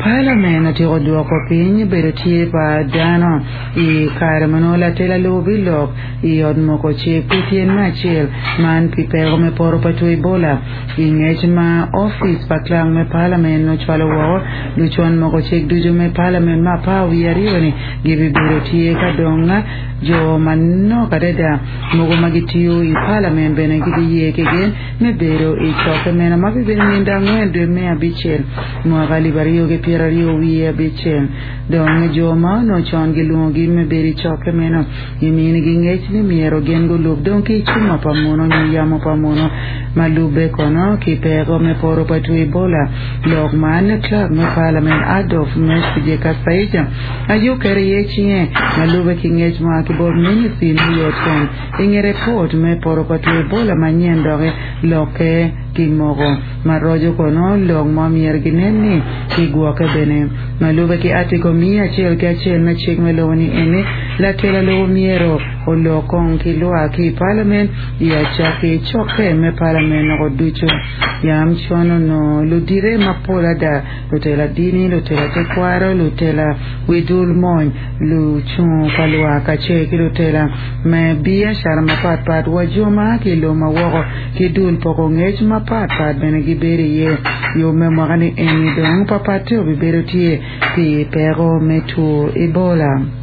Parliament otyeko dwoko piny bedo tye pa dano i kare ma nongo latela lobo bilok i ot moko cik pi tyen me acel man pi peko me poto pa two Ebola. I ngec ma opic pa clerk me Parliament ocwalo woko, lucon moko cik ducu me Parliament me apar wiye aryoni gibibedo tye ka dong jo manok adada mogo ma gitiyo i Parliament bene gibiye ki gin me bedo i cokke meno ma bibedo nino angwen dwe me abicel mwaka alip aryo ki pyeraryo wiye abicel. Dong jo ma onongo con gilwongogi me bedo i cokke meno giminigi ngec ni myero gin gulub dong ki cuma pa muno nyo yamo pa muno ma lubbe kono ki peko me poto pa two Ebola. Lok man Clerk me Parliament Adolf Mwesigye Kasaija aye oketo iye cinge ma lubbe ki ngec mua ki bot Ministry me Yot Kom I nge repot me poto pa two Ebola manyen doki lokke kimoko ma roco kono lok mo myero ginen ni kigwokke bene. Ma lube ki Article miya acel ki acel me cik me lobo ni eni, latela lobo myero olok kong ki lwak ki i Parliament i acakki cokke me Parliament noko ducu. Yam con onongo ludite mapol ada, lutela dini, lutela tekwaro, lutela wi dul mony, lucungo pa lwak kacel ki lutela me biacara mapat pat wa jo ma a ki i lobo ma woko ki dul poko ngec mapat pat bene gibedo iye. Yub me mwaka ni eni dong papatte obibedo tye pi peko me two Ebola.